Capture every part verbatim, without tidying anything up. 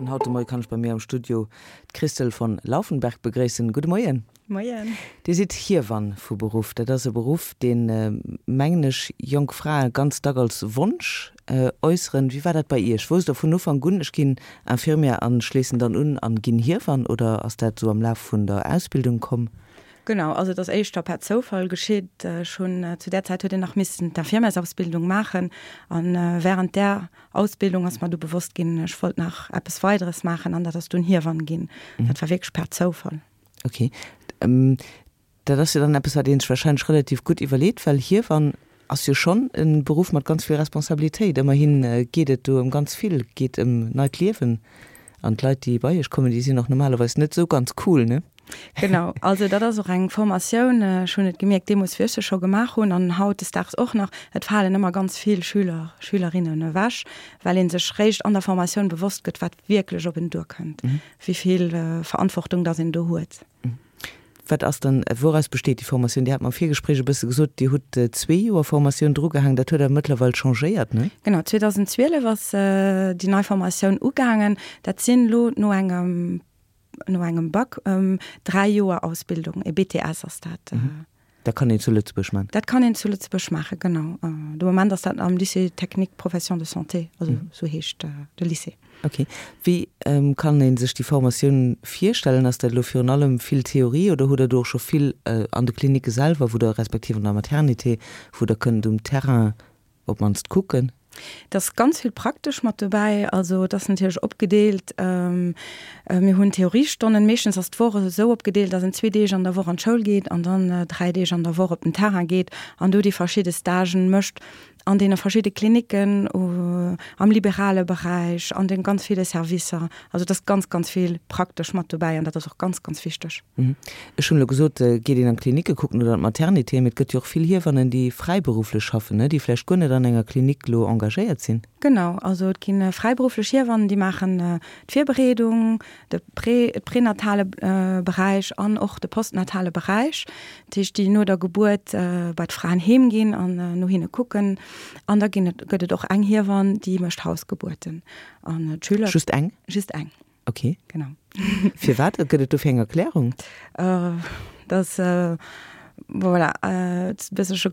An haut de Moie kann ech bei mir am Studio d'Christol von Laufenberg begréissen. Gudde Moien. Moien. Dir sidd Hiewann vu Beruff. Dat ass e Beruff, deen, mengen ech, jonk Frae ganz dack als Wonsch äusseren. Wéi war dat bei Iech? Wousst Der vun Ufank un, ech ginn Infirmière an schléissen dann un an ginn Hiewann oder ass dat esou am Laf vun der Ausbildung komm? Genau, also et ass éischter per Zoufall geschitt. Ech hunn, zu där Zäit huet een nach missen d'Infirmièrsausbildung maachen an während där Ausbildung ass mer du bewosst ginn, ech wollt nach eppes Weideres maachen an dat ass dunn Hiewann ginn. Dat war wierklech per Zoufall. Ok. Dat ass jo dann eppes, wat ee sech warscheinlech relativ gutt iwwerleet, well Hiewann ass jo schonn e Beruff mat ganz vill Responsabilitéit. Ëmmerhi geet et do ëm ganz vill, geet ëm neit Liewen. An d'Leit, déi bei Iech kommen, déi sinn och normalerweis net esou ganz cool, ne? Genau, also dat ass och eng Formatioun, ech hunn et gemierkt deemools, wéi ech se scho gemaach hunn an hautdesdaags och nach, et falen ëmmer ganz vill Schüler, Schülerinnen ewech, well ee sech réischt an der Formatioun bewosst gëtt, wat wierklech op en duerkënnt, wéi vill Verantwortung dass een do huet. Wat ass dann, wouraus besteet déi Formatioun? Dir hat mer am Virgespréich e bësse gesot, Dir hutt zwee Joer Formatioun drugehaangen, dat huet awer mëttlerweil changéiert, ne? Genau, zweedausendzwielef ass déi nei Formatioun ugaangen. Dat sinn elo no engem, no engem Bac dräi Joer Ausbildung, e B T S ass dat. Dat kann een zu Lëtzebuerg maachen? Dat kann een zu Lëtzebuerg maachen, genau. De Moment ass dat am Lycée technique profession de santé, also esou heescht de Lycée. Ok. Wéi kann ee sech déi Formatioun virstellen? Ass dat elo virun allem vill Theorie oder hutt Der do och scho vill an de Klinicke selwer, wou Der, respektiv an der Maternité, wou Der kënnt um Terrain op d'mannst kucken? Et ass ganz vill praktesch mat dobäi. Also et ass natierlech opgedeelt, mir hunn Theoriestonnen, meeschtens ass d'Woch esou opgedeelt, datt een zwee Deeg an der Woch an d'Schoul geet an dann dräi Deeg an der Woch op den Terrain geet an do déi verschidde Stagen mécht an deene verschidde Klinicken, am liberale Beräich, an de ganz ville Servicer. Also et ass ganz, ganz vill praktesch mat dobäi an dat ass och ganz, ganz wichteg. Ech hunn elo gesot, geet een an d'Klinicke kucken oder an d'Maternité, mee et gëtt jo och vill Hiewannen, déi fräiberufflech schaffen, ne, déi vläicht guer net an enger Klinik elo engagéiert sinn. Genau, also et gi fräiberufflech Hiewannen, déi maachen d'Virbereedung, de prä-, prenatale Beräich an och de postnatale Beräich, dat heescht déi no der Gebuert bei d'Fraen heem ginn an no hinne kucken. An da ginn et, gëtt et och eng Hiewann, déi mécht Hausgebuerten an d'Schüler. Just eng? Just eng. Ok. Genau. Firwat? Gëtt et dofir eng Erklärung? Dat, voilà, et ass e bëssche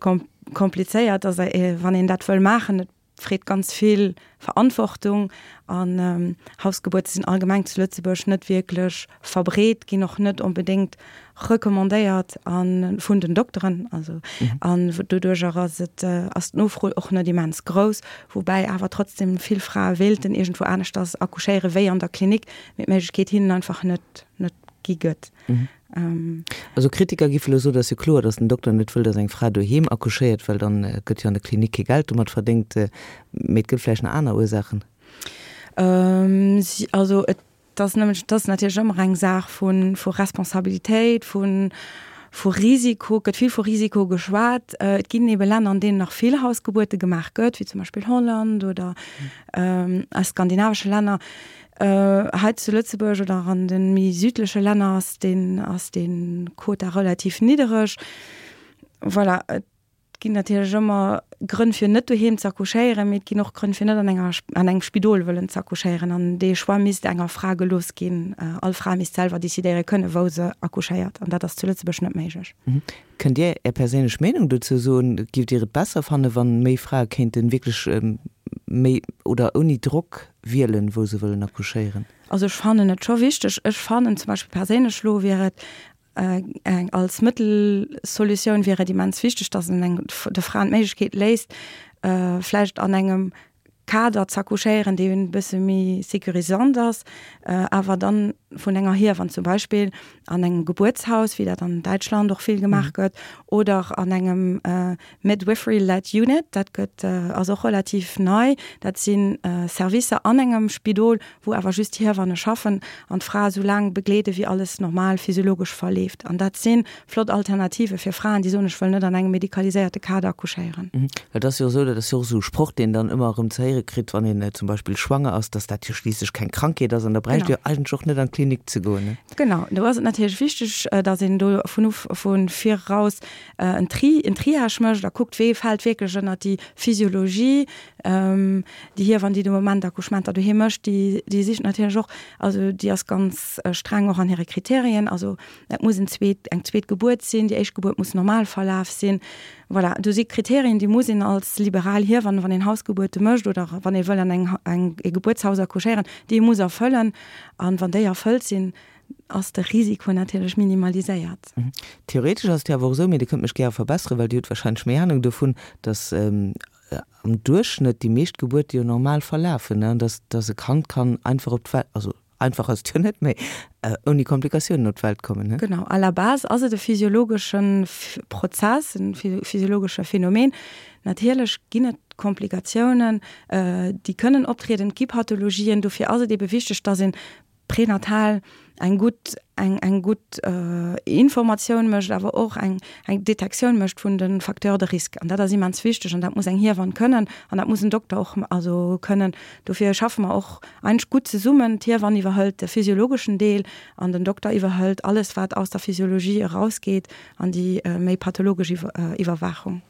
komplizéiert, also wann een dat wëll maachen, et freet ganz vill Verantwortung an Hausgebuerte sinn allgemeng zu Lëtzebuerg net wierklech verbreet, ginn och net onbedéngt recommandéiert an vun den Dokteren, also an doduercher ass et ass d'Nofro och net immens grouss, woubäi awer trotzdem vill Frae wéilten iergendwou aneschters accouchéiere wéi an der Klinik, mee d'Méiglechkeet hinnen einfach net net gi gëtt. Also Kritiker géife elo soen, et ass jo kloer, datt den Dokter net wëll, datt eng Fra doheem accouchéiert, well dann gëtt jo an der Klinik kee Geld domat verdéngt. Mee et gëtt vläicht nach aner Ursaachen. Also et ass nëmmen, et ass natierlech ëmmer eng Saach vu vu Responsabilitéit, vu vu Risiko. Et gëtt vill vu Risiko geschwat. Et ginn ebe Länner, an deenen nach vill Hausgebuerte gemaach gëtt, wéi zum Beispill Holland oder a skandinavesche Länner. Hei zu Lëtzebuerg oder an de méi südleche Länner ass deen, ass dee Quota relativ niddereg. Voilà, et ginn natierlech ëmmer Grënn fir net doheem ze accouchéieren, mee et ginn och Grënn fir net an enger, an engem Spidol wëllen ze accouchéieren. An dee Choix misst enger Fra gelooss ginn. All Fra misst selwer decidéiere kënnen, wou se accouchéiert. An dat ass zu Lëtzebuerg net méiglech. Kënnt Dir Är perséinlech Meenung dozou soen? Giff Dir et besser fannen, wann méi Frae kéinten wierklech méi oder ouni Drock wielen, wou se wëllen accouchéieren? Also ech fannen et scho wichteg. Ech fannen zum Beispill perséinlech elo wier et eng als Mëttelsolutioun wier et immens wichteg, datt een eng de Fraen d'Méiglechkeet léisst, vläicht an engem Kader z'accouchéieren, dee e bësse méi sécurisant ass, awer dann vun enger Hiewann zum Beispill an engem Gebuertshaus, wéi dat an Däitschland och vill gemaach gëtt, oder an engem Midwifery-led Unit, dat gëtt ass och relativ nei. Dat si Servicer an engem Spidol, wou awer just Hiewanne schaffen an d'Fra esou laang begleede wéi alles normal physiologesch verleeft. An dat si flott Alternative fir Fraen, déi soen, ech wëll net an engem medikaliséierte Kader accouchéieren. Well et ass jo esou, dat ass jo och esou e Sproch, deen dann ëmmer erëm ze héiere kritt, wann een zum Beispill schwanger ass, dass dat jo schliisslech keng Krankheet ass an da bräicht Dir jo eigentlech och net an d'Klinik Klinik ze goen. Genau, do ass et natierlech wichteg, datt een do vun uf vun viraus en Tri en Triage mécht a kuckt, wee fält wierklech ënnert déi Physiologie. Déi Hiewann, déi de Moment Accouchementer doheem mécht, déi déi sicht natierlech och, also déi ass ganz streng och an hire Kriterien. Also et muss en zweet eng zweet Gebuert sinn, déi éischt Gebuert muss normal verlaf sinn. Voilà, do si Kriterien, déi muss een als liberal Hiewann, wann een Hausgebuerte mécht oder wann ee wëll an eng eng e Gebuertshaus accouchéieren, déi ee muss erfëllen. An wann déi erfëllt sinn, ass de Risiko natierlech minimaliséiert. Theoretesch ass et jo awer och esou, mee Dir kënnt mech gäre verbesseren, well Dir hutt wahrscheinlech méi Anung dovun, datt am Duerchschnëtt déi meescht Gebuerte jo normal verlafen, ne, an datt datt e Kand kann einfach op d'Welt, also einfach ass et jo net, mee ouni Komplikatiounen op d'Welt kommen, ne? Genau, à la base ass et e physiologesche Prozess, e physiologesche Phänomen. Natierlech ginn et Komplikatiounen, déi kënnen optrieden, et gi Pathologien. Dofir ass et ebe wichteg, datt een prenatal eng gutt eng eng gutt Informatioun mécht, awer och eng eng Detektioun mécht vun de Facteurs de risque. An dat ass immens wichteg an dat muss eng Hiewann kënnen an dat muss en Dokter och also kënnen. Dofir schaffe mer och eigentlech gutt zesummen. D'Hiewann iwwerhëlt de physiologeschen Deel an den Dokter iwwerhëlt alles, wat aus der Physiologie erausgeet an déi méi pathologesch Iwwerwaachung.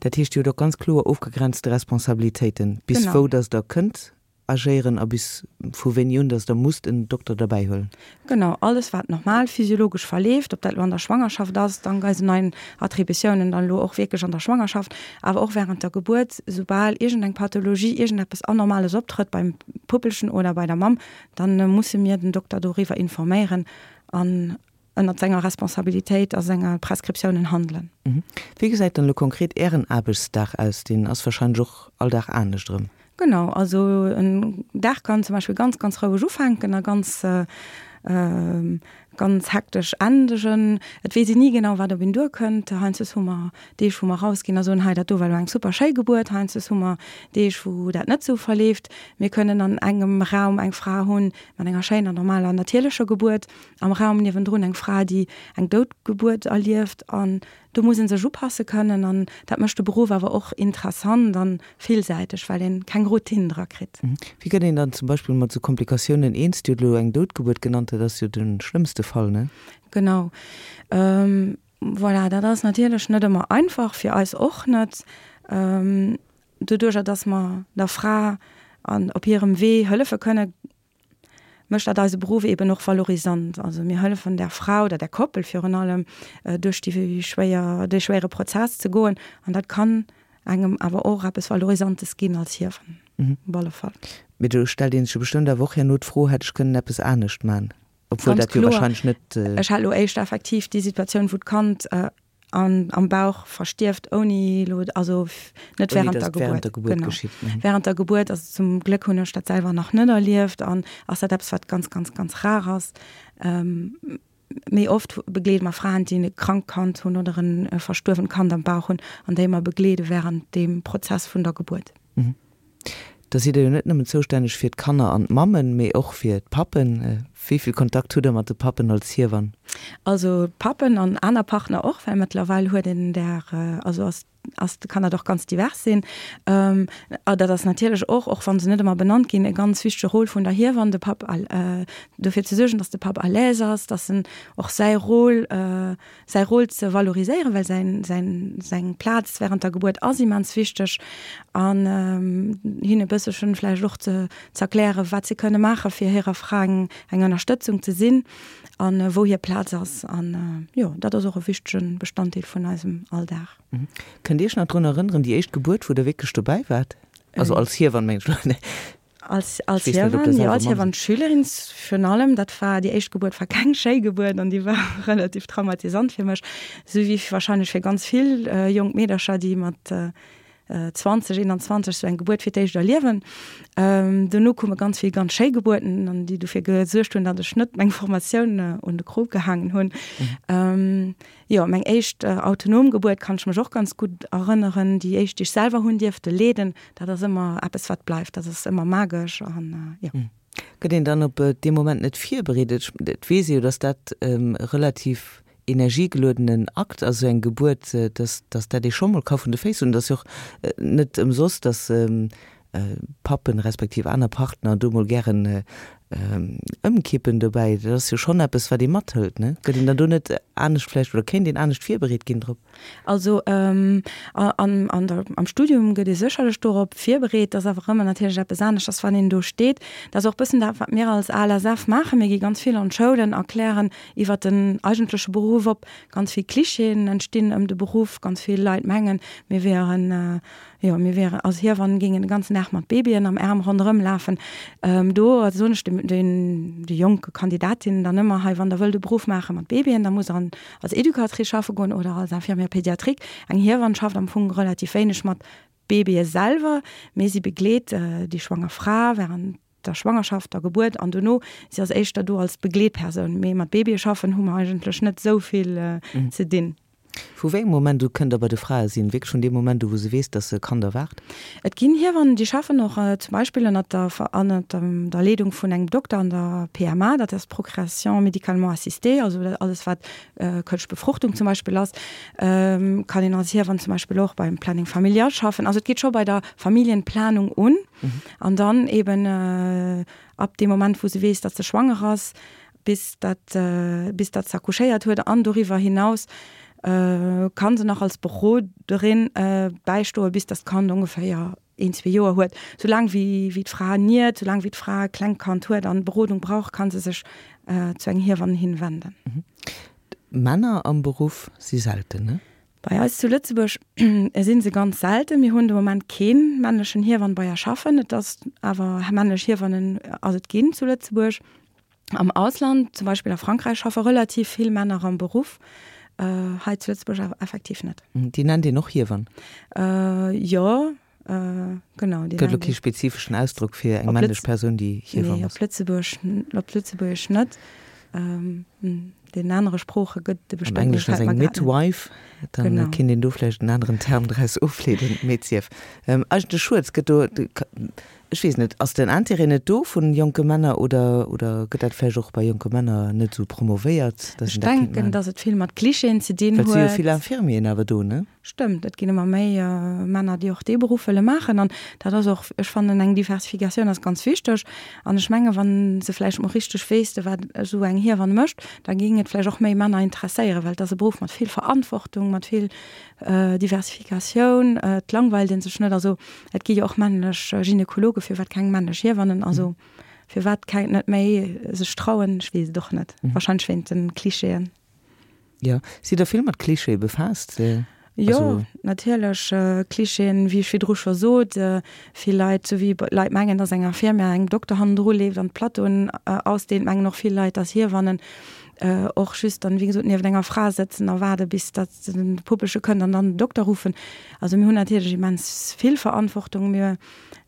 Dat heescht, Dir hutt och ganz kloer ofgegrenzte Responsabilitéiten, bis wou dass Der kënnt agéieren a bis vu wéini un dass Der musst en Dokter derbäi huelen. Genau, alles wat normal physiologesch verleeft, ob dat elo an der Schwangerschaft ass, dank eisen neien Attributiounen dann elo och wierklech an der Schwangerschaft, awer och während der Gebuert, soubal iergendeng Pathologie, iergendeppes Anormales optrëtt beim Puppelchen oder bei der Mamm, dann musse mir den Dokter doriwwer informéieren an ënnert senger Responsabilitéit a senger Prescriptiounen handelen. Wéi gesäit dann elo konkret Ären Aarbechtsdag aus? Deen ass wahrscheinlech och all Dag anescht erëm. Genau, also en Dag kann zum Beispill ganz, ganz roueg ufänken a ganz, ganz hektesch endegen. Et weess een ni genau, wat op een duerkënnt. Heiansdes hu mer Deeg, wou mer rausginn a soen, hei dat do war elo eng super schéi Gebuert. Heiansdes hu mer Deeg, wou dat net esou verleeft. Mir kënnen an engem Raum eng Fra hunn mat enger schéiner, normaler, natierlecher Gebuert, am Raum niewendrun eng Fra, déi eng Doutgebuert erlieft. An do muss ee sech upasse kënnen an dat mécht de Beruff awer och interessant a villsäiteg, well een keng Routine dra kritt. Wéi gëtt een dann zum Beispill mat sou Komplikatiounen eens? Dir hutt elo eng Doutgebuert genannt, dat ass jo de schlëmmste Fall, ne? Genau. Voilà, dat ass natierlech net ëmmer einfach, fir eis och net. Doduerjer, dass mer der Fra an op hirem Wee hëllefe kënne, mécht dat eise Beruff eben och valorisant. Also mir hëllefen der Fra oder der Koppel virun allem, duerch déi schwéier, dee schwéiere Prozess ze goen. An dat kann engem awer och eppes Valorisantes ginn als Hiewann, op alle Fall. Mee do stellt ee sech jo bestëmmt awer och herno d'Fro, Hätt ech kënnen eppes anescht man? Obwuel Ganz dat jo kloer. wahrscheinlech net. Ech hat elo éischter effektiv déi Situatioun, wou d'Kand an am Bauch verstierft, ouni elo, also net Ouni während dass der et während Gebuert. der Gebuert Genau. geschitt. Mhm. Während der Gebuert, also zum Gléck hunn ech dat selwer nach net erlieft an ass dat eppes, wat ganz, ganz, ganz rar ass. Méi oft begleede mer Fraen, déi e krankt Kand hunn oder e verstuerwent Kand am Bauch hunn an déi mer begleede während deem Prozess vun der Gebuert. Mhm. Da sidd Der jo net nëmmen zoustänneg fir d'Kanner an d'Mammen, mee och fir d'Pappen. Wéi vill Kontakt hutt Der mat de Pappen als Hiewann? Also Pappen an aner Partner och, well mëttlerweil huet een der, also ass ass, kann dat och ganz divers sinn. A dat ass natierlech och, och wa se net ëmmer benannt ginn, e ganz wichtege Rôle vun der Hiewann, de Papp dofir ze suergen, datt de Papp à l'aise ass, datt en och säi Rôle, säi Rôle ze valoriséieren, well säin, säin, seng Plaz während der Gebuert ass immens wichteg an hinne bësselchen vläicht och ze z'erklären, wat se kënne maache fir hirer Fra eng, eng Ënnerstëtzung ze sinn an wou hir Plaz ass. An jo, dat ass och e wichtege Bestanddeel vun eisem Alldag. Kënnt Dir Iech nach drun erënneren, déi éischt Gebuert, wou Der wierklech dobäi waart? Also als Hiewann, mengen ech elo. Als, als Hiewann, jo, als Hiewann-Schülerin virun allem. Dat war, déi éischt Gebuert war keng schéi Gebuert an déi war relativ traumatisant fir mech, esou wéi wahrscheinlech fir ganz vill jonk Meedercher, déi mat zwanzeg, eenanzwanzeg esou eng Gebuert fir d'éischt erliewen. Dono koume ganz vill ganz schéi Gebuerten an déi dofir gesuergt hunn, datt ech net meng Formatioun un de Krop gehaangen hunn. Jo, meng éischt autonom Gebuert kann ech mech och ganz gutt erënneren, déi éischt, déi ech selwer hunn dierfte leeden, dat ass ëmmer eppes, wat bleift, dat ass ëmmer magesch an jo. Gëtt een dann op dee Moment net virbereet? Et weess ee jo, datt dat e relativ energiegeluedenen Akt ass, esou eng Gebuert, datt datt dat ee scho mol ka vun de Féiss hunn. Et ass jo och net ëmsoss, datt Pappen respektiv aner Partner do mol gären Ëmkippen dobäi, dat ass jo schonn eppes, wat ee mathëlt, ne? Gëtt een dann do net anescht vläicht oder kéint een anescht virbereet ginn drop? Also an, an der, am Studium gëtt ee sécherlech dorop virbereet. Dat ass awer ëmmer natierlech eppes aneschters, wann een do steet. Dat ass och bëssen dat, wat mir als ALSF maachen. Mir gi ganz vill an d'Schoulen, erklären iwwert den eigentleche Beruff op. Ganz vill Klischeeën entstinn ëm de Beruff. Ganz vill Leit mengen, mir wieren, jo, mir wieren als Hiewannen, géingen de ganzen Dag mat Babyen am Aarm ronderëm lafen. Do soen ech de, den, de jonke Kandidatinnen dann ëmmer, hei, wann Der wëllt e Beruff maache mat Babyen, da musst Der an, als Educatrice schaffe goen oder als Infirmière pédiatrique. Eng Hiewann schafft am Fong relativ wéineg mat Babye selwer, mee si begleet déi schwanger Fra während der Schwangerschaft, der Gebuert an dono. Si ass éischter do als Begleetpersoun, mee mat Babye schaffen hu mer eigentlech net esou vill ze dinn. Vu wéi engem Moment u kënnt Der bei de Frae sinn? Wierklech vun deem Moment u wou se weess, dass se e Kand erwaart? Et ginn Hiewannen, déi schaffen och zum Beispill ënnert der ënnert der Leedung vun engem Dokter an der P M A, dat ass Procréation médicalement assistée, also alles wat kënschtlech Befruchtung zum Beispill ass, kann een als Hiewann zum Beispill och beim Planning familial schaffen. Also et geet scho bei der Familienplanung un an dann eben ab deem Moment wou se weess, datt se schwanger ass, bis datt bis datt se accouchéiert huet an doriwwer hinaus kann se nach als Beroderin bäistoe bis datt d'Kand ongeféier een, zwee Joer huet. Soulaang wéi wéi d'Fra niert, soulaang wéi d'Fra e klengt Kand huet an Berodung brauch, kann se sech zu enger Hiewann hin wenden. Männer am Beruff si selten, ne? Bei eis zu Lëtzebuerg si se ganz selten. Mir hunn de Moment kee männlechen Hiewann bei eis schaffen. Et ass awer männlech Hiewannen ass et ginn zu Lëtzebuerg. Am Ausland, zum Beispill a Frankräich, schaffe relativ vill Männer am Beruff. Hei zu Lëtzebuerg awer effektiv net. Déi nennt een och Hiewann? Jo, genau. Gëtt elo kee spezifeschen Ausdrock fir eng männlech Persoun, déi Hiewann ass? Nee, op Lëtzebuerg, op Lëtzebuergesch net. Den anere Sprooche gëtt e bestimmt. Am Engleschen ass eng Midwife, dann kéint een do vläicht en aneren Term draus ofleeden, mee et sief. Eigentlech schued, et gëtt do, ech weess net, ass den Intérêt net do vun jonke Männer oder, oder gëtt dat vläicht och bei jonke Männer net esou promovéiert, dass een dat kéint maachen? Ech denken, dass et vill mat Klischeeën ze dinn huet. Well et si jo vill Infirmieren awer do, ne? Stëmmt, et ginn ëmmer méi Männer, déi och dee Beruff wëlle maachen. An dat ass och, ech fannen, eng Diversifikatioun ass ganz wichteg. An ech menge wa se vläicht mol richteg wéisste wat esou eng Hiewann mécht, da géing et vläicht och méi Männer interesséieren, well et ass e Beruff mat vill Verantwortung, mat vill Diversifikatioun. Et langweilt ee sech net. Also et gi jo och männlech Gynekologe, firwat keng männlech Hiewannen? Also firwat keng net méi sech trauen? Ech weess et och net. Wahrscheinlech wéint de Klischeeën. Jo, sidd Der vill mat Klischeeë befaasst? Jo, natierlech. Klischeeën, wéi ech virdru scho sot, vill Leit, sou wéi Leit mengen, dass eng Infirmière engem Dokter hannendru leeft an d'Plateauen ausdeelt, mengen och vill Leit, dass Hiewannen och just dann, wéi gesot, nieft enger Fra sëtzen a waarde bis datt de Puppelche kënnt an dann den Dokter ruffen. Also mir hunn natierlech immens vill Verantwortung. Mir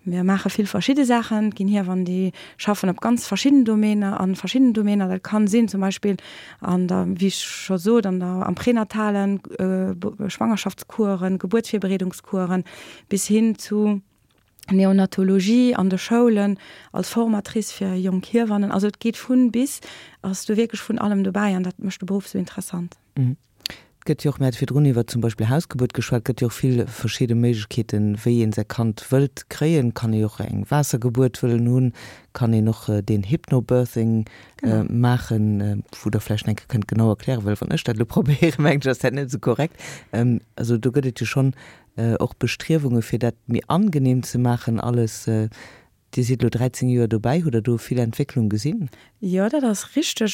Mir maache vill verschidde Saachen. Et ginn Hiewannen, déi schaffen op ganz verschidden Domainer, a verschidden Domainer. Dat kann sinn zum Beispill an der, wéi ech scho sot, an der, am Prenatalen, Schwangerschaftskueren, Gebuertsvirbereedungskueren, bis hin zu Neonatologie an de Schoulen als Formatrice fir jonk Hiewannen. Also et geet vun bis, ass do wierklech vun allem dobäi an dat mécht de Beruff sou interessant. Et gëtt jo och, mir hate virdrun iwwer zum Beispill Hausgebuert geschwat, et gëtt jo och vill verschidde Méiglechkeeten, wéi een säi Kand wëllt kréien. Kann ee jo och eng Waassergebuert wëllen hunn, kann een och deen Hypnobirthing maachen, wou Der vläicht eng Kéier kënnt genau erklären, well wann ech dat elo probéieren, mengen ech, ass dat net esou korrekt. Also do gëtt et jo schonn och Bestriewunge fir dat méi angenehm ze maachen alles. Dir sidd elo dräizéng Joer dobäi, hutt Der do vill Entwécklung gesinn? Jo, dat ass richteg.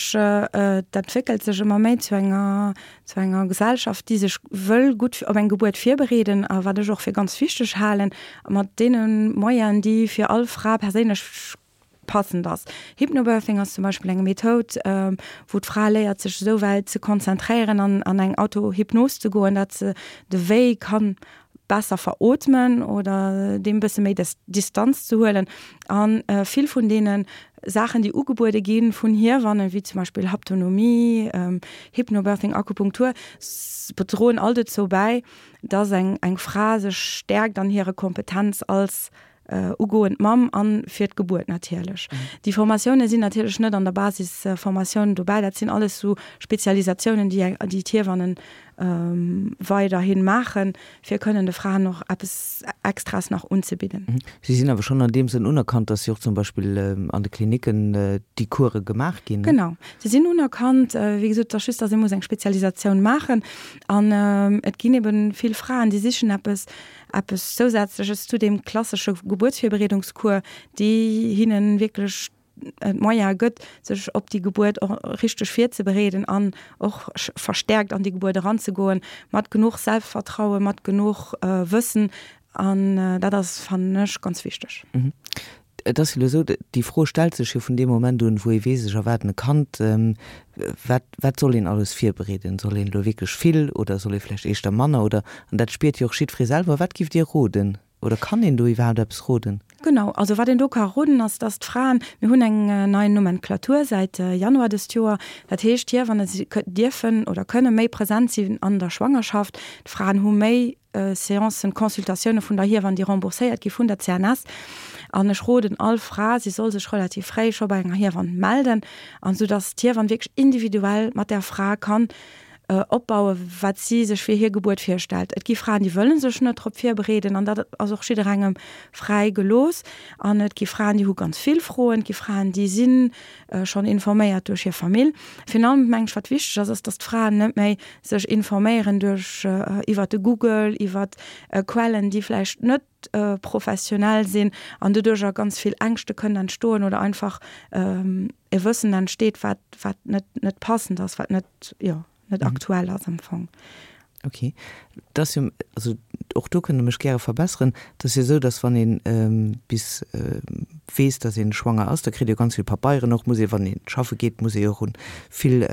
Et entwéckelt sech ëmmer méi zu enger, zu enger Gesellschaft, déi sech wëll gutt op eng Gebuert virbereeden a wat ech och fir ganz wichteg halen, mat deene Moyenen, déi fir all Fra perséinlech passend ass. Hypnobirthing ass zum Beispill eng Methoud, wou d'Fra léiert, sech esou wäit ze konzentréieren an an eng Autohypnos ze goen, datt se de Wéi kann besser verootmen oder deem e bësse méi Distanz ze huelen. A vill vun deene Saachen, déi ugebuede gi vun Hiewannen, wéi zum Beispill Haptonomie, Hypnobirthing, Akupunktur, droen all dozou bäi, dass eng eng Fra sech stäerkt an hirer Kompetenz als ugoend Mamm a fir d'Gebuert natierlech. Déi Formatioune sinn natierlech net an der Basisformatioun dobäi, dat sinn alles sou Spezialisatiounen, déi déi d'Hiewannen weiderhi maachen, fir kënnen de Fraen och eppes Extraes nach unzebidden. Si sinn awer schonn an deem Sënn unerkannt, dass si och zum Beispill an de Klinicken déi Course gemaach ginn, ne? Genau, si sinn unerkannt. Wéi gesot, et ass just, dass ee muss eng Spezialisatioun maachen. An et ginn eben vill Fraen, déi sichen eppes, eppes Zousätzleches zu deem klassesche Gebuertsvirbereedungscours, déi hinnen wierklech d'Moyene gëtt, sech op déi Gebuert och richteg virzebereeden an och verstärkt an déi Gebuert eranzegoen, mat genuch Selbstvertrauen, mat genuch Wëssen. An dat ass, fannen ech, ganz wichteg. Et ass jo elo esou, déi Fro stellt sech jo vun deem Moment un, wou ee weess, ech erwaarden e Kand, wat, wat soll een alles virbereeden? Soll een elo wierklech vill oder soll ee vläicht éischter manner oder, an dat spiert jo och jiddweree selwer. Wat giff Dir roden oder kann een do iwwerhaapt eppes roden? Genau, also wat een do ka roden ass, dass d'Fraen, mir hunn eng nei Nomenclature säit Januar dëst Joer, dat heescht d'Hiewanne dierfen oder kënne méi present sinn an der Schwangerschaft, d'Fraen hu méi Seancen, Consultatioune vun der Hiewann, déi rembourséiert gi vun der C N S. An ech roden all Fra, si soll sech relativ fréi scho bei enger Hiewann melden, an esou datt d'Hiewann wierklech individuell mat där Fra kann opbauen, wat si sech fir hir Gebuert virstellt. Et gi Fraen, déi wëlle sech net drop virbereeden, an dat ass och jidderengem fräi gelooss. An et gi Fraen, déi hu ganz vill Froen, et gi Fraen, déi si schonn informéiert duerch hir Famill. Virun allem meng ech, wat wichteg ass, ass, datt d'Fraen net méi sech informéieren duerch iwwert de Google, iwwert Quellen, déi vläicht net professionell sinn an doduercher ganz vill Ängschte kënnen entstoen oder einfach e Wëssen entsteet, wat wat net net passend ass, wat net, jo, net aktuell ass am Fong. Okay. Dat ass jo, also och do kënnt Der mech gäre verbesseren, et ass jo esou, datt wann ee bis weess, datt ee schwanger ass, da kritt ee jo ganz vill Papeieren och, muss ee, wann ee schaffe geet, muss ee jo och un vill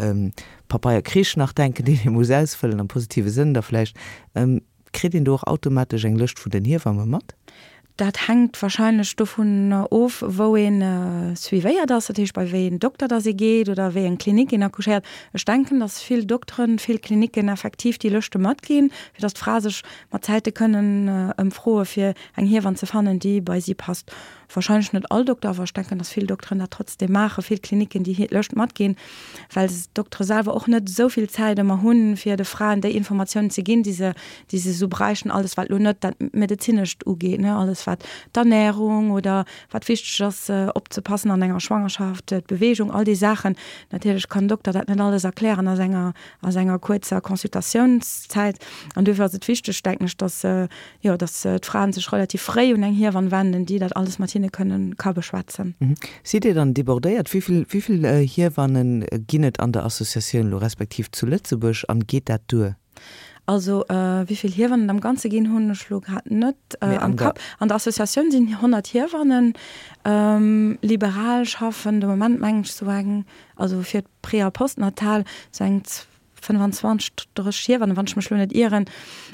Papeierkrich nach denken, deen ee muss ausfëllen, am positive Sënn da vläicht. Kritt een do och automatesch eng Lëscht vun den Hiewamme mat? Dat hänkt wahrscheinlech dovun of, wou een suivéiert ass, dat heescht bei wéi een Dokter dass ee geet oder wéi eng Klinik een accouchéiert. Ech denken, dass vill Dokteren, vill Klinicken effektiv déi Lëschte matginn, fir dass d'Frae sech mat Zäite kënnen ëmfroe fir eng Hiewann ze fannen, déi bei si passt. Wahrscheinlech net all Dokter, awer ech denken, dass vill Dokteren dat trotzdem maachen, vill Klinicken déi Lëscht matginn, well d'Doktere selwer och net esou vill Zäit ëmmer hunn, fir de Fraen déi Informatiounen ze ginn, déi se, déi se esou bräichten, alles wat elo net dat Medezinescht ugeet, ne, alles wat d'Ernährung oder wat wichteg ass opzepassen an enger Schwangerschaft, d'Bewegung, all déi Saachen. Natierlech kann en Dokter dat net alles erklären a senger, a senger kuerzer Consultatiounszäit. An duerfir ass et wichteg, denken ech, dass, jo, dass d'Fraen sech relativ fréi un eng Hiewann wenden, déi dat alles mat hinne kënnen, ka beschwätzen. Sidd Dir dann débordéiert? Wéi vill, wéi vill Hiewanne ginn et an der Associatioun elo, respektiv zu Lëtzebuerg, an geet dat duer? Also wéi vill Hiewannen et am Ganze ginn, hunn ech elo grad net am Kapp. An der Associatioun sinn honnert Hiewannen. Liberal schaffen de Moment, mengen ech, sou eng, also fir d'Pré a Postnatal, sou eng fënnwanzwanzeg, drësseg Hiewannen, wann ech mech elo net ieren.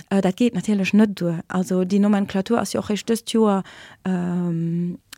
Dat geet natierlech net duer. Also déi Nomenclature ass jo och réischt dëst Joer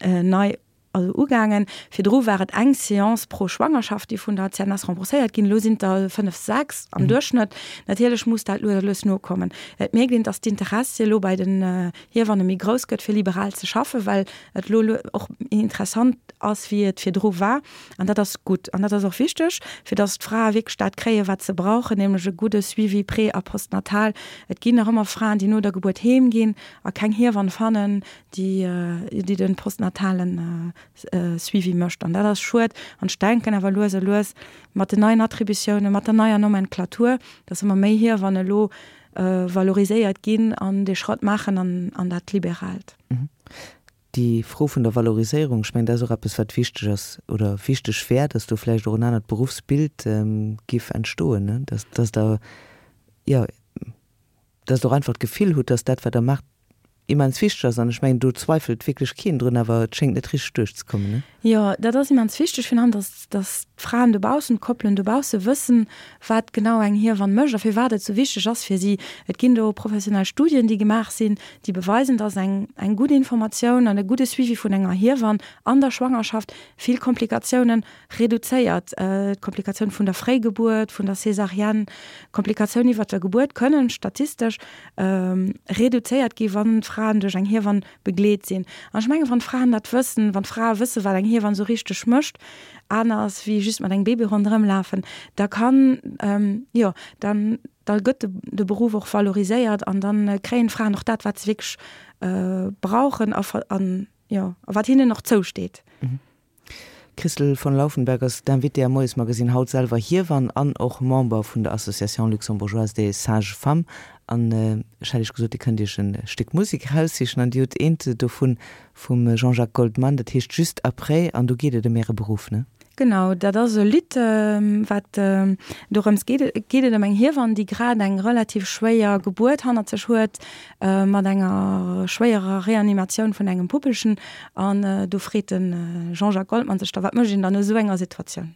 nei also ugaangen. Virdru war et eng Seance pro Schwangerschaft, déi vun der C N S rembourséiert ginn. Elo sinn et der fënnef, sechs am Duerchschnëtt. Natierlech muss dat lues a lues nokommen. Et mierkt een, datt d'Interessi elo bei den Hiewanne méi grouss gëtt, fir liberal ze schaffen, well et elo och méi interessant ass, wéi et virdru war. An dat ass gutt. An dat ass och wichteg, fir datt d'Frae wierklech dat kréien, wat se brauchen, nämlech e gudde Suivi pré a postnatal. Et ginn nach ëmmer Fraen, déi no der Gebuert heem ginn a keng Hiewann fannen, déi, déi de postnatalen Suivi mécht. An dat ass schued. An ech denken awer lues a lues mat den neien Attributiounen, mat der neier Nomenclature, dass ëmmer méi Hiewannen elo valoriséiert ginn an dee Schrëtt maachen an, an dat Liberaalt. Déi Fro vun der Valoriséierung, ech mengen, dat ass och eppes, wat wichteg ass oder wichteg wär, dass do vläicht och en anert Beruffsbild géif entstoen, ne? Dass, dass Der, jo, dass Der och einfach d'Gefill hutt, dass dat, wat Der maacht, immens wichteg ass. An ech mengen, do zweifelt wierklech keen drun, awer et schéngt net richteg duerchzekommen, ne? Jo, dat ass immens wichteg, virun allem, dass, dass d'Fraen dobaussen, d'Koppelen dobausse wëssen, wat genau eng Hiewann mécht a firwat et esou wichteg ass fir si. Et ginn do professionell Studien, déi gemaach sinn, déi beweisen, dass eng, eng gutt Informatioun an e gudde Suivi vun enger Hiewann an der Schwangerschaft vill Komplikatiounen reduzéiert. D'Komplikatioun vun der Fréigebuert, vun der Césarienne, Komplikatiounen iwwert der Gebuert kënnen statistesch reduzéiert gi wann d'Fra Fraen duerch eng Hiewann begleet sinn. An ech mengen, wann d'Fraen dat wëssen, wann d'Frae wësse wat eng Hiewann sou richteg mécht, aner ass wéi just mat engem Baby ronderëm lafen, da kann, jo, dann da gëtt de Beruff och valoriséiert an dann kréien d'Fraen och dat, wat se wierklech brauchen a an jo, a wat hinnen och zousteet. D'Christol von Laufenberg ass d'Invitée am Moiesmagazine, haut selwer Hiewann an och Member vun der Association Luxembourgeoise des Sages-Femmes. An ech hätt Iech gesot, Dir kënnt Iech e Stéck Musek eraussichen an Dir hutt eent dovun vum Jean-Jacques Goldman, dat heescht Juste après an do geet et ëm Äre Beruff, ne? Genau, dat ass e Lidd, wat dorëms geet, geet et ëm eng Hiewann, déi grad eng relativ schwéier Gebuert hannert sech huet, mat enger schwéierer Reanimatioun vun engem Puppelchen. An do freet de Jean-Jacques Goldman sech da, wat mécht een dann a sou enger Situatioun?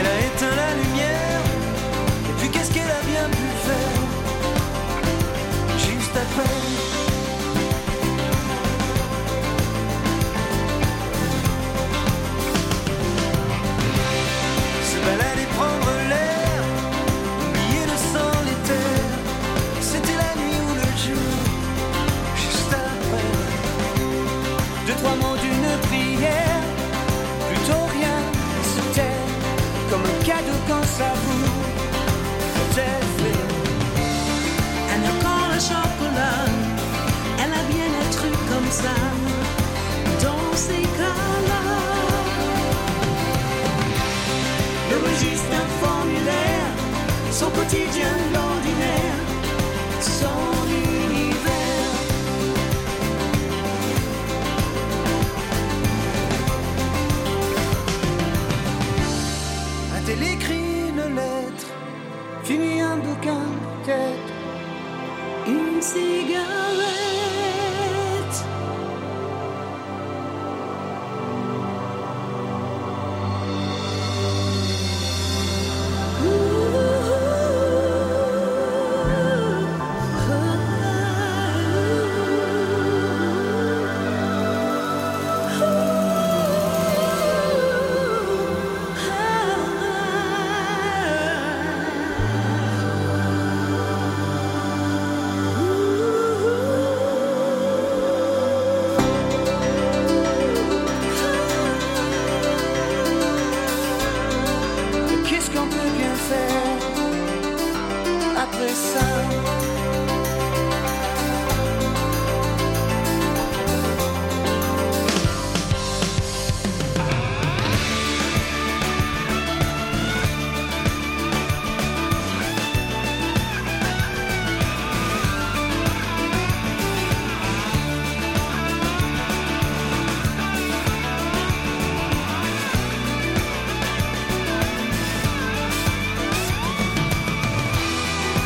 Elle a éteint la lumière et puis qu'est-ce qu'elle a bien pu faire juste après Se balader prendre l'air oublier le sang l'éther c'était la nuit ou le jour juste après deux trois mots d'une prière plutôt rien se taire comme un cadeau quand ça vous est fait Un accord à chocolat elle a bien un truc comme ça dans ces cas-là Le registre un formulaire son quotidien l'ordinaire son univers A-t-elle écrit une lettre fini un bouquin peut-être une cigarette Qu'est-ce qu'on peut bien faire après ça?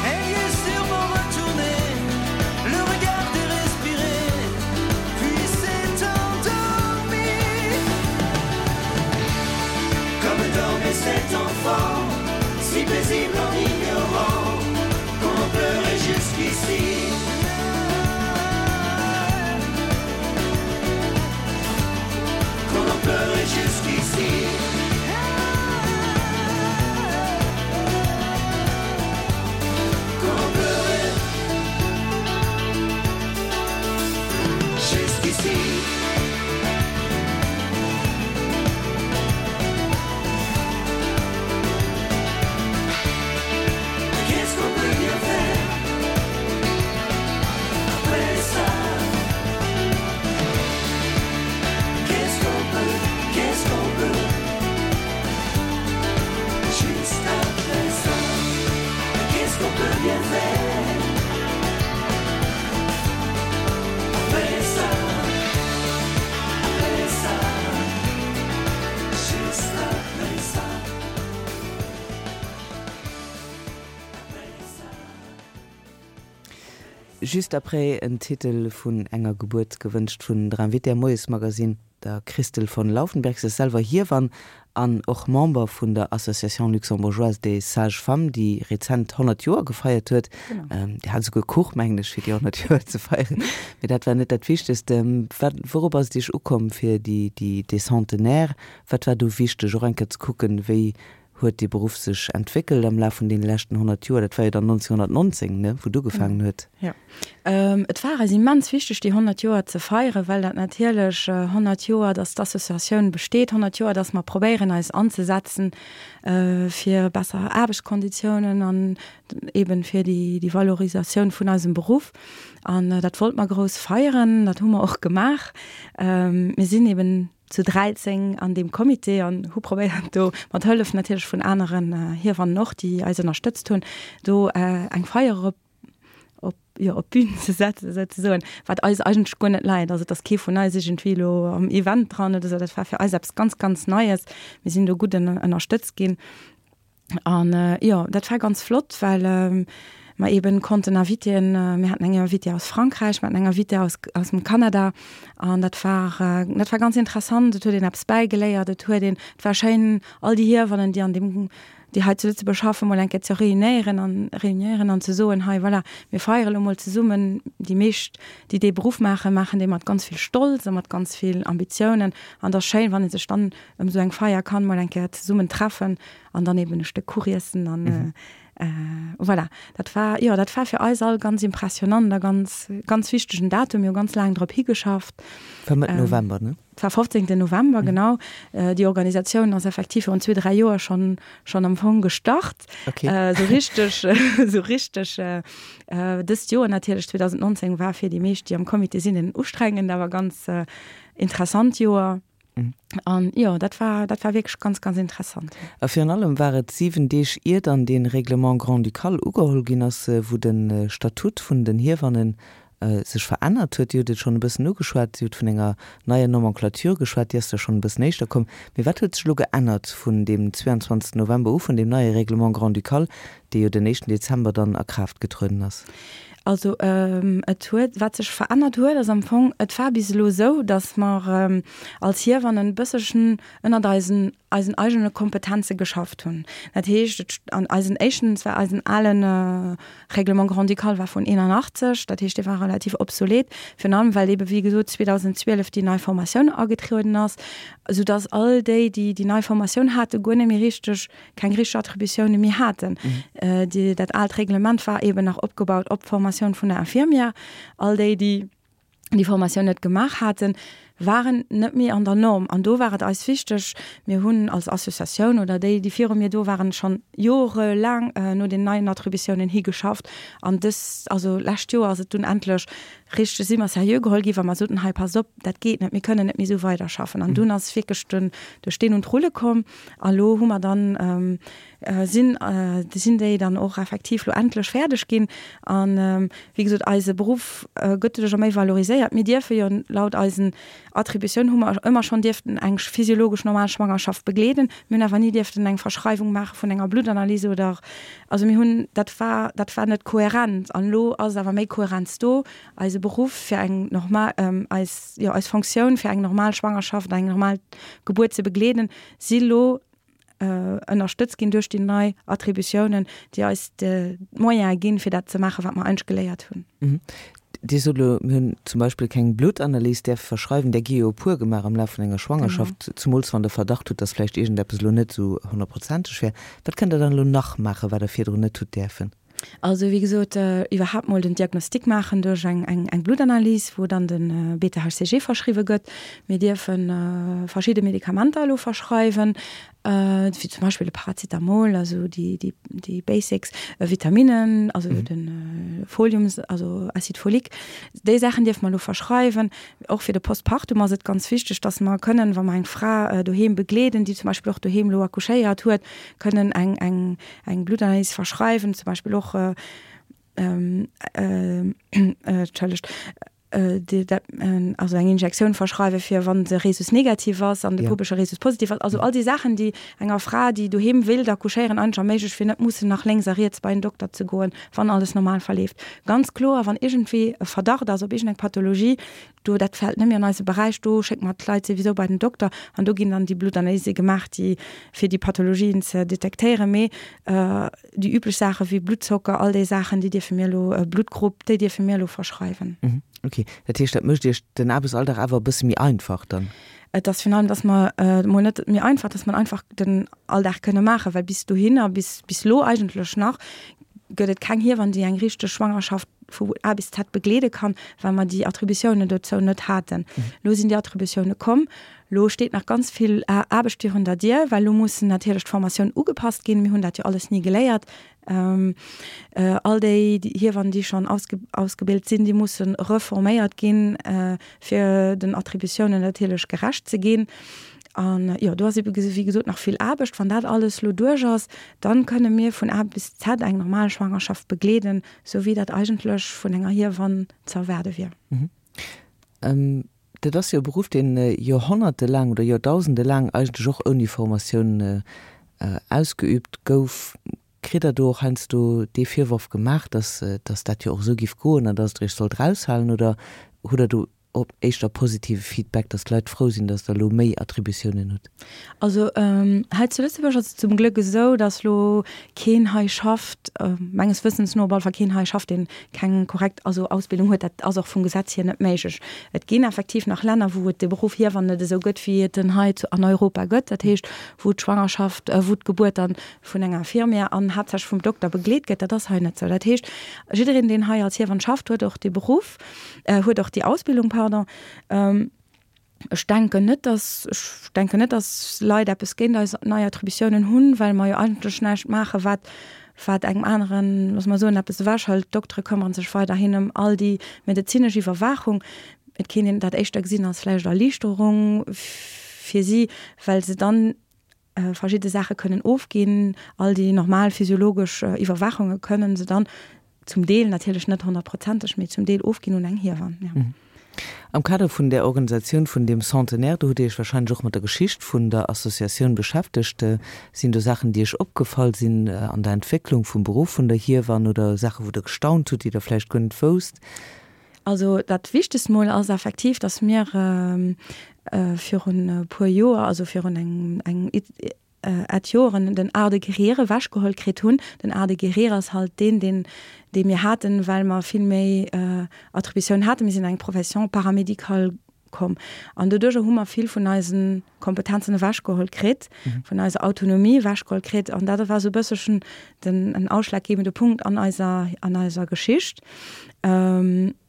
Elle y est sûrement retournée, le regard dérespiré, puis s'est endormie. Comme dormait cet enfant, si paisible en ignorant qu'on pleurait jusqu'ici. Qu'on en pleurait jusqu'ici. Qu'on pleurait jusqu'ici. Qu'est-ce qu'on peut bien faire Juste après en Titel vun enger Gebuert gewënscht vun der Invitée am Moiesmagazin, der Christl von Laufenberg. Se ass selwer Hiewann an och Member vun der Association luxembourgeoise des sages-femmes, déi rezent honnert Joer gefeiert huet. Genau. Déi hat souguer Kuch, mengen ech, fir déi honnert Joer ze feieren. Mee dat war net dat Wichtegst. Wat, wourop ass et Iech ukomm fir déi, déi, dee Centenaire? Wat war do wichteg, och eng Kéier ze kucken, wéi huet dee Beruff sech entwéckelt am Laf vun deene leschten honnert Joer? Dat war jo dann neunzehnhundertneunzehn, ne, wou et ugefaangen huet. Jo. Et war eis immens wichteg, déi honnert Joer ze feieren, well dat natierlech honnert Joer, dass d'Associatioun besteet, honnert Joer, dass mer probéieren, eis anzesetzen fir besser Aarbechtskonditiounen an eben fir déi, déi Valorisatioun vun eisem Beruff. An dat wollt mer grouss feieren, dat hu mer och gemaach. Mir sinn eben zu dräizéng an deem Comité an hu probéiert do, mat Hëllef natierlech vun aneren Hiewannen och, déi eis ënnerstëtzt hunn, do eng Feier op, op, jo, op d'Bün ze setzen souzesoen, wat eis eigentlech guer net läit. Also et ass kee vun eis iergendwéi elo am Event dran oder esou, dat war fir eis eppes ganz, ganz Neies. Mir sinn do gutt ënnerstëtzt ginn. An jo, dat war ganz flott, well mer eben konnten Invitéen, mir haten eng Invitée aus Frankräich, mir haten eng Invitée aus, aus dem Kanada an dat war, dat war ganz interessant, et huet een eppes bäigeléiert, et huet een, et war schéin all déi Hiewannen, déi an deem, déi hei zu Lëtzebuerg schaffen, mol eng Kéier ze réunéieren an, réunéieren an ze soen, hei voilà, mir feiere lo mol zesummen. Déi meescht, déi dee Beruff maachen, maachen dee mat ganz vill Stolz a mat ganz vill Ambitiounen an et ass schéin, wann ee sech dann ëm esou eng Feier kann mol eng Kéier zesummen treffen an dann eben e Stéck Kuch iessen an voilà. Dat war, jo, dat war fir eis all ganz impressionant a ganz, ganz wichtegen Datum. Mir hu ganz laang drop higeschafft. War Mëtt November, ne? Et war fofzéngten November, genau. Déi Organisatioun ass effektiv virun zwee, dräi Joer schonn, schonn am Fong gestart. Okay. Esou richteg, esou richteg dëst Joer natierlech, zweedausendnonzéng, war fir déi meescht, déi am Comité sinn, en ustrengend, awer ganz interessant Joer. An jo, dat war, dat war wierklech ganz, ganz interessant. A virun allem war et siwen Deeg ier dann dee Règlement grand-ducal ugeholl ginn ass, wou de Statut vun den Hiewannen sech verännert huet. Dir hutt et schonn e bëssen ugeschwat, Dir hutt vun enger neier Nomenclature geschwat, déi ass da schonn e bëssen éischter komm. Mee wat huet sech elo geännert vun deem zweeanzwanzegsten November u, vun deem neie Règlement grand-ducal, dee jo den éischten Dezember dann a Kraaft getrueden ass? Also et huet, wat sech verännert huet, ass am Fong, et war bis elo esou, datt mer als Hiewannen e bësselchen ënnert eisen, eisen eigene Kompetenze geschafft hunn. Dat heescht, et an eisen éischten, et war eisen alen Règlement grand-ducal war vun eenanachtzeg, dat heescht, dee war relativ obsolet, virun allem well eebe wéi gesot zweedausendzwielef déi nei Formatioun agetrueden ass, soudatt all déi, déi déi nei Formatioun haten, guer net méi richteg, keng richteg Attributioune méi haten. Déi, dat aalt Reglement war eeben nach opgebaut op d'Formatioun vun der Infirmière. All déi, déi déi Formatioun net gemaach haten, waren net méi an der Norm. An do war et eis wichteg, mir hunn als Associatioun oder déi, déi viru mir do waren, schonn jorelaang no den neien Attributiounen higeschafft. An dës, also lescht Joer ass et dunn endlech richteg, si mer seriö geholl gi wa mer soten, hei passt op, dat geet net, mir kënnen net méi esou weiderschaffen. An dunn ass wierklech den, de Steen un d'Rulle komm. A lo hu mer dann, sinn, sinn déi dann och effektiv lo endlech fäerdeg ginn. An wéi gesot, eise Beruff gëtt doduercher méi valoriséiert. Mir dierfe jo laut eisen Attributioun hu mer ëmmer schonn dierften eng physiologesch normal Schwangerschaft begleeden. Mir hunn awer ni dierften eng Verschreiwung maache vun enger Bluttanalyse oder, also mir hunn, dat war, dat war net kohärent. An elo ass awer méi Kohärenz do. Eise Beruff fir eng normal, eis, jo, eis Fonctioun fir eng normal Schwangerschaft, eng normal Gebuert ze begleeden, si lo ënnerstëtzt ginn duerch déi nei Attributiounen, déi eis d'Moyene ginn, fir dat ze maachen, wat mer eigentlech geléiert hunn. Dir sot elo, mir hunn zum Beispill keng Bluttanalys däerfe verschreiwen. Där gi jo e puer gemaach am Laf vun enger Schwangerschaft, zumools wann Der Verdacht hutt, dass vläicht iergendeppes elo net esou honnertprozenteg wär. Wat kënnt Der dann elo nach maachen, wat Der virdrun net hutt däerfen? Also wéi gesot, iwwerhaapt mol den Diagnostic maachen duerch eng eng Bluttanalys, wou dann de Beta H C G verschriwwe gëtt. Mir dierfe verschidde Medikamenter elo verschreiwen, wéi zum Beispill de Paracetamol, also déi déi déi Basics, Vitaminnen, also de Folium, also Acide folique. Déi Saachen dierfe mer elo verschreiwen. Och fir de Postpartum ass et ganz wichteg, datt mer kënnen, wa mer eng Fra doheem begleeden, déi zum Beispill och doheem elo accouchéiert huet, kënnen eng eng eng Bluttanalys verschreiwen, zum Beispill och, entschëllegt, déi dat also eng Injektioun verschreiwe fir wann de Rhesus negativ ass an de Puppelcher Rhesus positiv ass. Also all déi Saachen, déi enger Fra, déi doheem wéilt accouchéieren, eigentlech erméiglecht, fir net mussen nach lénks a riets bei en Dokter ze goen, wann alles normal verleeft. Ganz kloer, wann iergendwéi e Verdacht ass op iergendeng Pathologie, do, dat fält net méi an eise Beräich, do schécke mer d'Leit souwisou bei den Dokter an do ginn dann déi Bluttanalyse gemaach, déi fir déi Pathologien ze detektéieren. Mee déi üblech Saache wéi Bluttzocker, all déi Saachen, déi dierfe mir elo, Bluttgrupp, déi dierfe mir elo verschreiwen. Ok, dat heescht, dat mécht Iech den Aarbechtsalldag awer e bësse méi einfach dann? Et ass virun allem, dass mer, mol net méi einfach, dass mer einfach den Alldag kënne maachen, well bis dohinner, bis, bis elo eigentlech nach, gëtt et keng Hiewann, déi eng richteg Schwangerschaft vu A bis Z begleede kann, well mer déi Attributiounen dozou net haten. Elo sinn déi Attributioune komm. Elo steet nach ganz vill Aarbecht virun der Dier, well elo mussen natierlech d'Formatioun ugepasst ginn. Mir hunn dat jo alles ni geléiert. All déi Hiewannen, déi schonn ausgebilt sinn, déi musse reforméiert ginn, fir den Attributiounen natierlech gerecht ze ginn. An jo, do ass ebe wéi gesot nach vill Aarbecht. Wann dat alles elo duerch ass, dann kënne mir vun A bis Z eng normal Schwangerschaft begleeden, sou wéi dat eigentlech vun enger Hiewann ze erwaarde wier. Dat ass jo e Beruff, deen joerhonnertelaang oder joerdausendelaang eigentlech och ouni Formatioun ausgeüübt gouf. Kritt Der do och heiansdo dee Virworf gemaach, dass dass dat jo och esou giff goen an dass Der Iech sollt eraushalen? Oder hutt Der do op éischter positive Feedback, dass d'Leit frou sinn, dass Der elo méi Attributiounen hutt? Also hei zu Lëtzebuerg ass et zum Glëck esou, dass elo keen hei schafft, menges Wëssens no op alle Fall keen hei schafft, deen keng korrekt also Ausbildung huet. Dat ass och vum Gesetz hier net méiglech. Et ginn effektiv nach Länner, wou et de Beruff Hiewann net esou gëtt, wéi et en hei an Europa gëtt, dat heescht wou d'Schwangerschaft, wou d'Gebuert dann vun enger Infirmière an haaptsächlech vum Dokter begleet gëtt. Dat ass hei net esou. Dat heescht, jiddereen, deen hei als Hiewann schafft, huet och dee Beruff, huet och déi Ausbildung, pardon. Ech denken net, dass, ech denken net, dass Leit eppes géint eis nei Attributiounen hunn, well mer jo eigentlech näischt maachen, wat, wat engem aneren, loosse mer soen, eppes ewechhëlt. D'Doktere këmmere sech weiderhin ëm all déi medezinesch Iwwerwaachung. Et kéint een dat éischter gesinn als vläicht Erliichterung fir si, well se dann verschidde Saache kënnen ofginn. All déi normal physiologesch Iwwerwaachunge kënnen se dann zum Deel, natierlech net honnertprozenteg, mee zum Deel ofginn un eng Hiewann, jo. Am Kader vun där Organisatioun vun deem Centenaire, do hutt Dir Iech wahrscheinlech och mat der Geschicht vun der Associatioun beschäftegt. Sinn do Saachen, déi Iech opgefall sinn an der Entwécklung vum Beruff vun der Hiewann oder Saache wou Der gestaunt hutt, déi Der vläicht guer net wousst? Also dat Wichtegst mol ass effektiv, dass mir virun e puer Joer, also virun engem eng et Joren, den Art de guérir ewechgeholl kritt hunn. Den Art de guérir ass halt deen, deen dee mir haten, well mer vill méi Attributiounen haten. Mir sinn an eng Profession paramédicale komm an doduerjer hu mer vill vun eise Kompetenzen ewechgeholl kritt, vun eiser Autonomie ewechgeholl kritt an dat war esou e bësselchen den en ausschlaggebende Punkt an eiser an eiser Geschicht.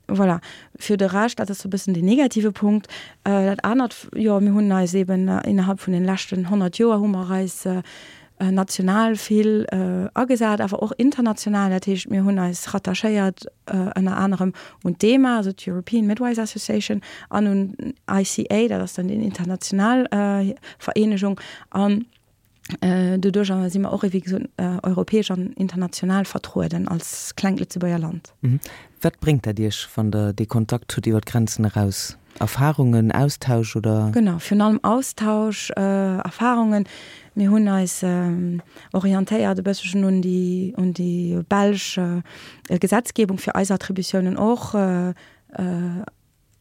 Voilà. Fir de Rescht, dat ass esou e bëssen den negative Punkt. Dat anert, jo, mir hunn eis eeben innerhalb vun den leschten honnert Joer hu mer eis national vill agesat, awer och international. Dat heescht, mir hunn eis rattachéiert ënner anerem un d'EMA, also d'European Midwives Association, an un I C A, dat ass dann déi international Vereenegung. An doduerjer si mer och, wéi gesot, europäesch an international vertrueden als klengt Lëtzebuerger Land. Wat bréngt dat Iech, wann Der dee Kontakt hutt iwwer d'Grenzen eraus? Erfarungen, Austausch oder? Genau, virun allem Austausch, Erfarungen. Mir hunn eis orientéiert e bësselchen un déi, un déi belsch Gesetzgebung, fir eis Attributiounen och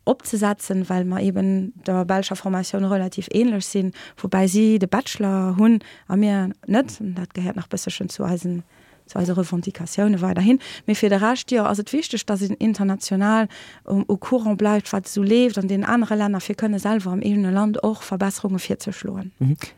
opzesetzen, well mer eben der belscher Formatioun relativ ähnlech sinn, woubäi si de Bachelor hunn a mir net. Dat gehéiert nach bësselchen zu eisen, zu eise Revendicatioune weiderhin. Mee fir de Rescht, jo, ass et wichteg, dass een international au courant bleift, wat esou leeft an deenen anere Länner, fir kënne selwer am eegene Land och Verbesserunge virzeschloen.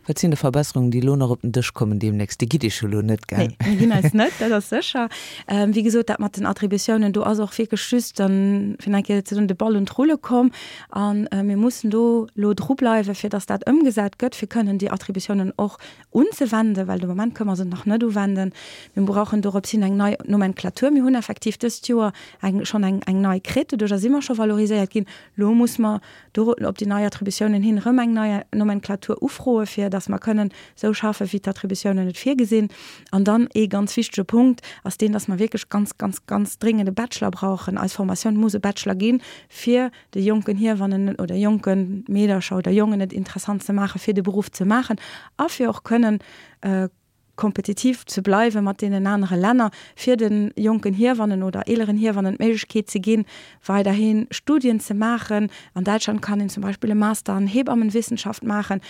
Wat sinn da Verbesserungen, déi elo nach op den Dësch kommen deemnächst? Dir gitt Iech jo elo net, gell? Nee, mir ginn eis net, dat ass sécher. Wéi gesot, dat mat den Attributiounen, do ass och wierklech just dann, fir nach eng Kéier ze soen, de Ball un d'Rulle komm. A mir mussen do elo drubleiwen, fir dass dat ëmgesat gëtt, fir kënnen déi Attributiounen och unzewenden, well de Moment kënnen mer se nach net uwenden. Mir Mir brauchen dorops hin eng nei Nomenklatur. Mir hunn effektiv dëst Joer eng, schonn eng, eng nei kritt, doduercher si mer scho valoriséiert ginn. Lo muss mer do op déi nei Attributiounen hin erëm eng nei Nomenklatur ufroe fir dass mer kënnen sou schaffe wéi d'Attributiounen et virgesinn. An dann ee ganz wichtege Punkt ass deen, dass mer wierklech ganz, ganz, ganz dringend e Bachelor brauchen. Eis Formatioun muss e Bachelor ginn, fir de jonken Hiewannen oder jonke Meedercher oder Jongen et interessant ze maache fir de Beruff ze maachen a fir och kënnen kompetitiv ze bleiwe mat deenen anere Länner, fir de jonken Hiewannen oder eeleren Hiewannen d'Méiglechkeet ze ginn, weiderhi Studien ze maachen. An Däitschland kann een zum Beispill e Master an Hebammenwissenschaft maachen.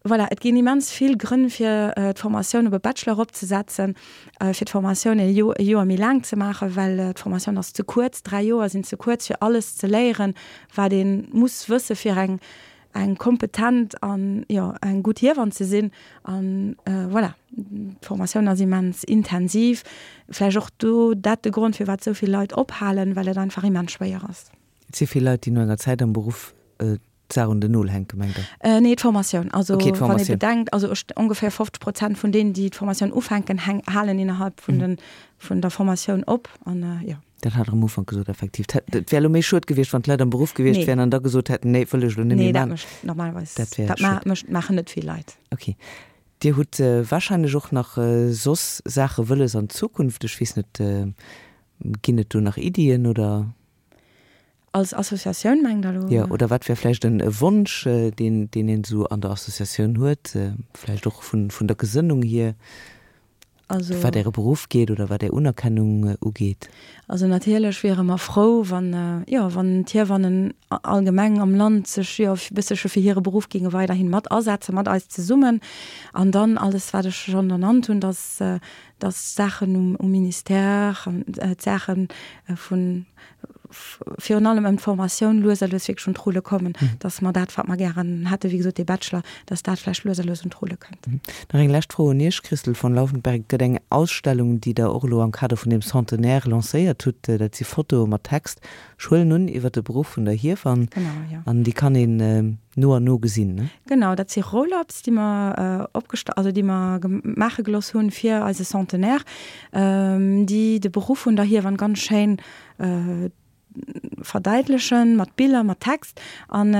Voilà, et ginn immens vill Grënn fir d'Formatioun op e Bachelor eropzesetzen, fir d'Formatioun e Joer méi laang ze maachen, well d'Formatioun ass ze kuerz, dräi Joer sinn ze kuerz fir alles ze léieren, wat ee muss wësse fir eng eng kompetent an jo eng gutt Hiewann ze sinn. An voilà, d'Formatioun ass immens intensiv. Vläicht och do dat de Grond, firwat esou vill Leit ophalen, well et einfach immens schwéier ass. Et si vill Leit, déi no enger Zäit am Beruff d'Saach un den Nol hänken, mengt Der? Nee, d'Formatioun. Also okay, wann ee bedenkt, also ongeféier fofzeg Prozent vun deenen, déi d'Formatioun ufänken, halen innerhalb vun den, vun der Formatioun op. An jo. Dat hat Der am Ufank gesot, effektiv. Et wär elo méi schued gewiescht, wann d'Leit am Beruff gewiescht wären an da gesot hätten, nee, wëll ech elo net méi maachen. Nee, dat mécht normalerweis, dat wär dat mécht, maachen net vill Leit. Okay. Dir hutt wahrscheinlech och nach soss Saache wëlles an Zukunft. Ech weess net, ginn et do nach Iddien oder? Als Associatioun mengt Der elo? Jo, oder wat wär vläicht e Wonsch, deen, deen een esou an der Associatioun huet, vläicht och vun, vun der Gesënnung hier? Also, wat Äre Beruff geet oder wat Är Unerkennung ugeet? Also natierlech wiere mer frou, wann, jo, wann d'Hiewannen allgemeng am Land sech, jo, e bësselche fir hire Beruff géinge weiderhi mat asetzen, mat eis zesummen. An dann alles, wat ech schonn ernannt hunn, dass, dass d'Saachen um, um Ministère an d'Saache vun, virun allem ëm d'Formatioun lues a lues wierklech un d'Rulle kommen, dass mer dat, wat mer gären hätten, wéi gesot dee Bachelor, dass dat vläicht lues a lues un d'Rulle kënnt. Nach eng lescht Fro un Iech, Christl von Laufenberg, Et gëtt eng Ausstellung, déi Der och elo am Kader vun deem Centenaire lancéiert hutt. Dat si Fotoe mat Text, ech huelen un, iwwer de Beruff vun der Hiewann. Genau, jo. An déi kann een no an no gesinn, ne? Genau, dat si Roll-ups, déi mer opgesta-, also déi mer maache gelooss hunn fir eise Centenaire, déi de Beruff vun der Hiewann ganz schéin verdäitlechen, mat Biller, mat Text. An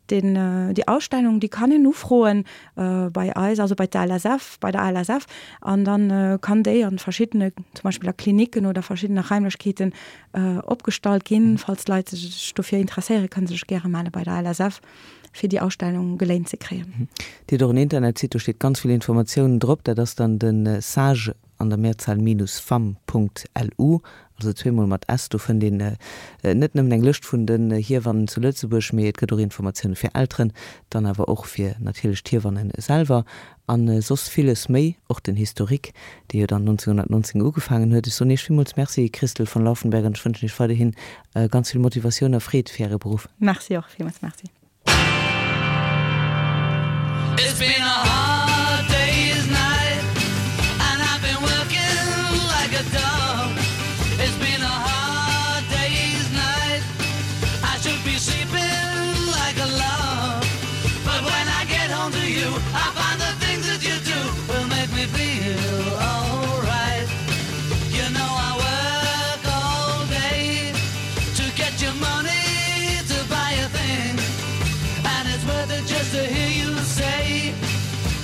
deen, déi Ausstellung, déi kann een ufroen bei eis, also bei der L S F, bei der A L S F. An dann kann déi an verschiddene, zum Beispill a Klinicken oder verschiddene Raimlechkeeten opgestallt ginn. Falls Leit sech dofir interesséieren, kënne se sech gäre melle bei der L S F, fir déi Ausstellung geléint ze kréien. Dir hutt och en Internetsite, do steet ganz vill Informatiounen drop. Dat ass dann de sage an der Mehrzahl minus femme Punkt lu, also zweemol mat s. Do fënnt een net nëmmen eng Lëscht vun den Hiewannen zu Lëtzebuerg, mee et gëtt och Informatioune fir Elteren, dann awer och fir natierlech d'Hiewannen selwer a soss villes méi, och den Historique, dee jo dann nonzénghonnertnonzéng ugefaangen huet. Ech soen Iech villmools Merci, Christl von Laufenberg, an ech wënschen Iech weiderhi ganz vill Motivatioun a Freed fir Äre Beruff. Merci och, villmools Merci. It's been a hard day's night and I've been working like a dog. It's been a hard day's night. I should be sleeping like a log. But when I get home to you, I find the things that you do will make me feel alright. You know I work all day to get your money to buy a thing. And it's worth it just to hear you say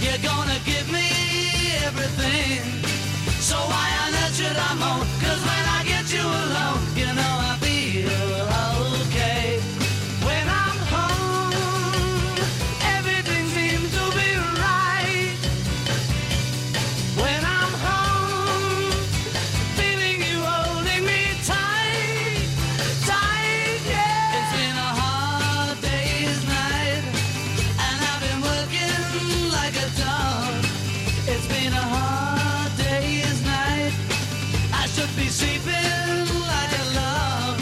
you're gonna give me everything. So why on earth should I moan? 'Cause when I get you alone, you know I feel okay. When I'm home, everything seems to be right. When I'm home, feeling you holding me tight, tight, yeah. It's been a hard day's night, and I've been working like a dog. It's been a hard day's night. I should be sleeping like a log.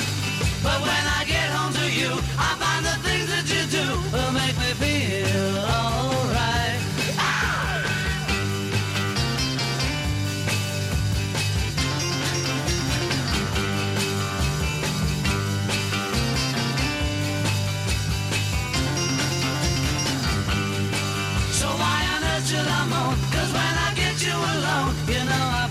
But when I get home to you, I find the things that you do will make me feel alright. Ah! So why on earth should I moan? 'Cause when I get you alone, you know I